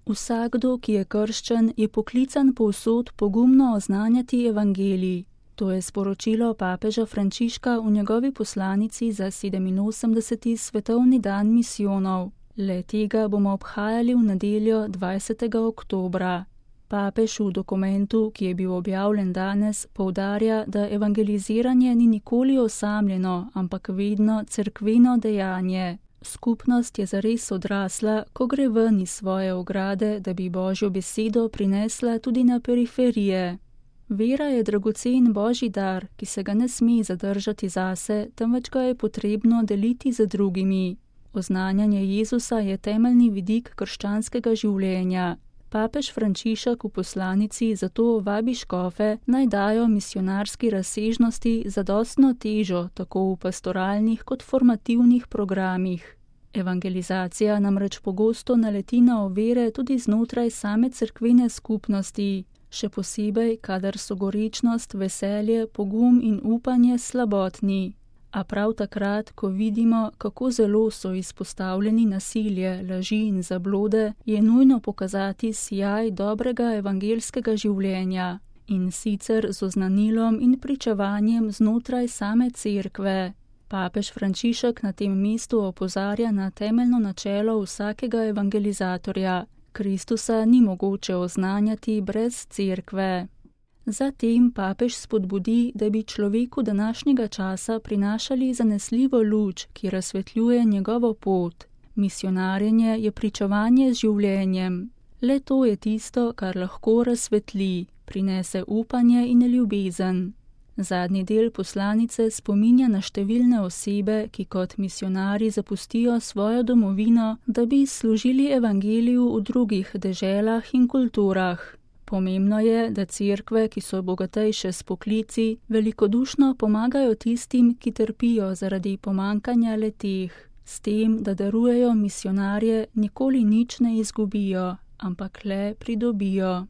Vsakdo, ki je krščen, je poklican povsod pogumno oznanjati evangelij. To je sporočilo papeža Frančiška v njegovi poslanici za 87. svetovni dan misijonov. Le tega bomo obhajali v nedeljo 20. oktobra. Papež v dokumentu, ki je bil objavljen danes, poudarja, da evangeliziranje ni nikoli osamljeno, ampak vedno cerkveno dejanje. Skupnost je zares odrasla, ko gre ven iz svoje ograde, da bi Božjo besedo prinesla tudi na periferije. Vera je dragocen Božji dar, ki se ga ne sme zadržati zase, temveč ga je potrebno deliti z drugimi. Oznanjanje Jezusa je temeljni vidik krščanskega življenja. Papež Frančišek v poslanici zato vabi škofe, naj dajo misionarski razsežnosti zadostno težo tako v pastoralnih kot formativnih programih. Evangelizacija namreč pogosto naleti na ovire tudi znotraj same cerkvene skupnosti, še posebej, kadar so gorečnost, veselje, pogum in upanje slabotni. A prav takrat, ko vidimo, kako zelo so izpostavljeni nasilje, laži in zablode, je nujno pokazati sijaj dobrega evangelskega življenja, in sicer z oznanilom in pričevanjem znotraj same cerkve. Papež Frančišek na tem mestu opozarja na temeljno načelo vsakega evangelizatorja. Kristusa ni mogoče oznanjati brez cerkve. Zatem papež spodbudi, da bi človeku današnjega časa prinašali zanesljivo luč, ki razsvetljuje njegovo pot. Misionarjenje je pričevanje z življenjem. Le to je tisto, kar lahko razsvetli, prinese upanje in ljubezen. Zadnji del poslanice spominja na številne osebe, ki kot misionarji zapustijo svojo domovino, da bi služili evangeliju v drugih deželah in kulturah. Pomembno je, da cerkve, ki so bogatejše s poklici, velikodušno pomagajo tistim, ki trpijo zaradi pomankanja le-teh. S tem, da darujejo misionarje, nikoli nič ne izgubijo, ampak le pridobijo.